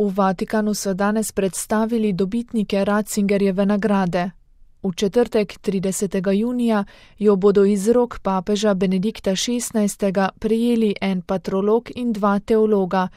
V Vatikanu so danes predstavili dobitnike Ratzingerjeve nagrade. V četrtek 30. junija jo bodo iz rok papeža Benedikta XVI. Prejeli en patrolog in dva teologa,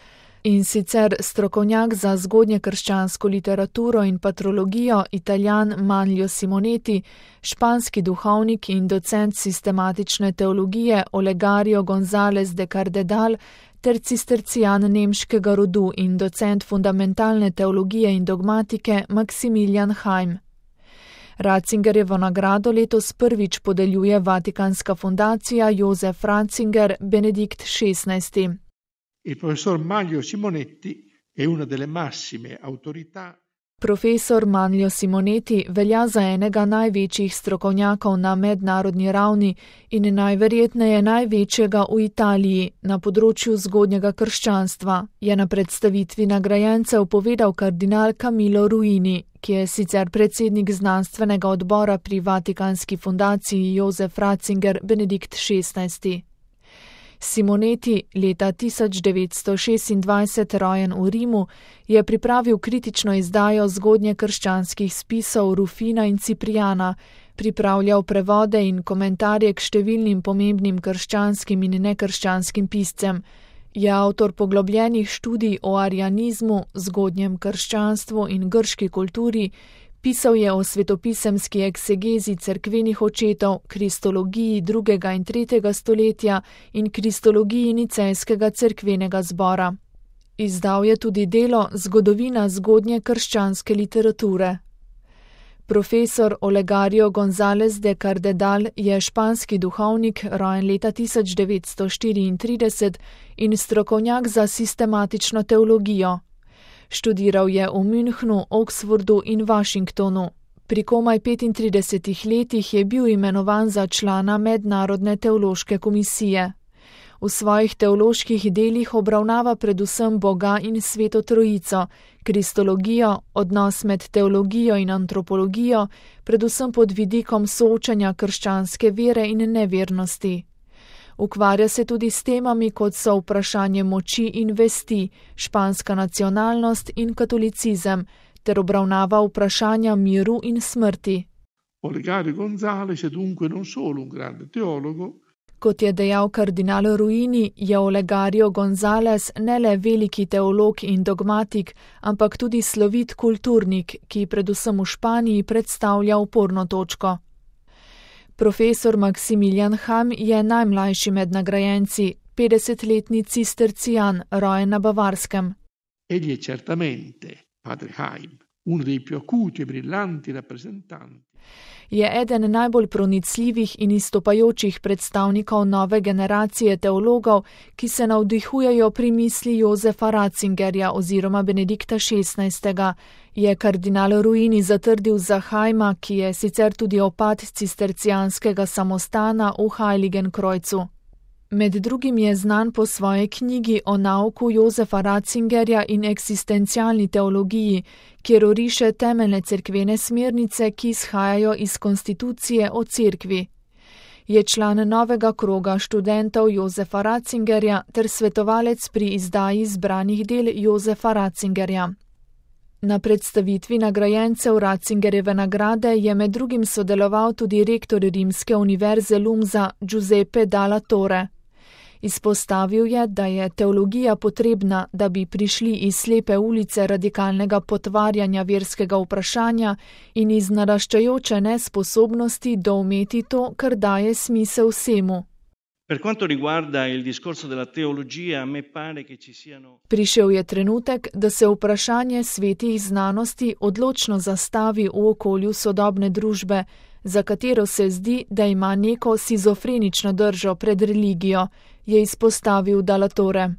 in sicer strokovnjak za zgodnjekrščansko literaturo in patrologijo Italijan Manlio Simoneti, španski duhovnik in docent sistematične teologije Olegario González de Cardedal ter cistercijan nemškega rodu in docent fundamentalne teologije in dogmatike Maximilian Heim. Ratzingerjevo nagrado letos prvič podeljuje Vatikanska fundacija Josef Ratzinger Benedikt XVI. Il professor Manlio Simonetti è una delle massime autorità. Profesor Manlio Simoneti velja za enega največjih strokovnjakov na mednarodni ravni in najverjetneje največjega v Italiji na področju zgodnjega krščanstva, je na predstavitvi nagrajencev povedal kardinal Camillo Ruini, ki je sicer predsednik znanstvenega odbora pri Vatikanski fundaciji Josef Ratzinger Benedikt XVI. Simoneti, leta 1926 rojen v Rimu, je pripravil kritično izdajo zgodnjekrščanskih spisov Rufina in Ciprijana, pripravljal prevode in komentarje k številnim pomembnim krščanskim in nekrščanskim piscem, je avtor poglobljenih študij o arianizmu, zgodnjem krščanstvu in grški kulturi, pisal je o svetopisemski eksegezi cerkvenih očetov, kristologiji 2. in 3. stoletja in kristologiji nicejskega cerkvenega zbora. Izdal je tudi delo Zgodovina zgodnje krščanske literature. Profesor Olegario González de Cardedal je španski duhovnik, rojen leta 1934 in strokovnjak za sistematično teologijo. Študiral je v Münchnu, Oxfordu in Washingtonu. Pri komaj 35 letih je bil imenovan za člana Mednarodne teološke komisije. V svojih teoloških delih obravnava predvsem Boga in Sveto Trojico, kristologijo, odnos med teologijo in antropologijo, predvsem pod vidikom soočanja krščanske vere in nevernosti. Ukvarja se tudi s temami, kot so vprašanje moči in vesti, španska nacionalnost in katolicizem, ter obravnava vprašanja miru in smrti. Olegario González è dunque non solo un grande teologo. Kot je dejal kardinal Ruini, je Olegario González ne le veliki teolog in dogmatik, ampak tudi slovit kulturnik, ki predvsem v Španiji predstavlja oporno točko. Profesor Maximilian Heim je najmlajši med nagrajenci, 50-letni cistercijan, rojen na Bavarskem. Egli è certamente, padre Heim, uno dei più acuti e brillanti rappresentanti. Je eden najbolj pronicljivih in izstopajočih predstavnikov nove generacije teologov, ki se navdihujejo pri misli Josefa Ratzingerja oziroma Benedikta XVI., je kardinal Ruini zatrdil za Heima, ki je sicer tudi opat cistercijanskega samostana v Heiligenkreuzu. Med drugim je znan po svoji knjigi o nauku Josefa Ratzingerja in eksistencialni teologiji, kjer oriše temeljne cerkvene smernice, ki izhajajo iz konstitucije o cerkvi. Je član novega kroga študentov Josefa Ratzingerja ter svetovalec pri izdaji zbranih del Josefa Ratzingerja. Na predstavitvi nagrajencev Ratzingerjeve nagrade je med drugim sodeloval tudi rektor Rimske univerze Lumsa Giuseppe Dalla Torre. Izpostavil je, da je teologija potrebna, da bi prišli iz slepe ulice radikalnega potvarjanja verskega vprašanja in iz naraščajoče nesposobnosti doumeti to, kar daje smisel vsemu. Per quanto riguarda il discorso della teologia, a me pare che ci siano. Prišel je trenutek, da se vprašanje svetih znanosti odločno zastavi v okolju sodobne družbe, za katero se zdi, da ima neko sizofrenično držo pred religijo, je izpostavil Dalla Torre.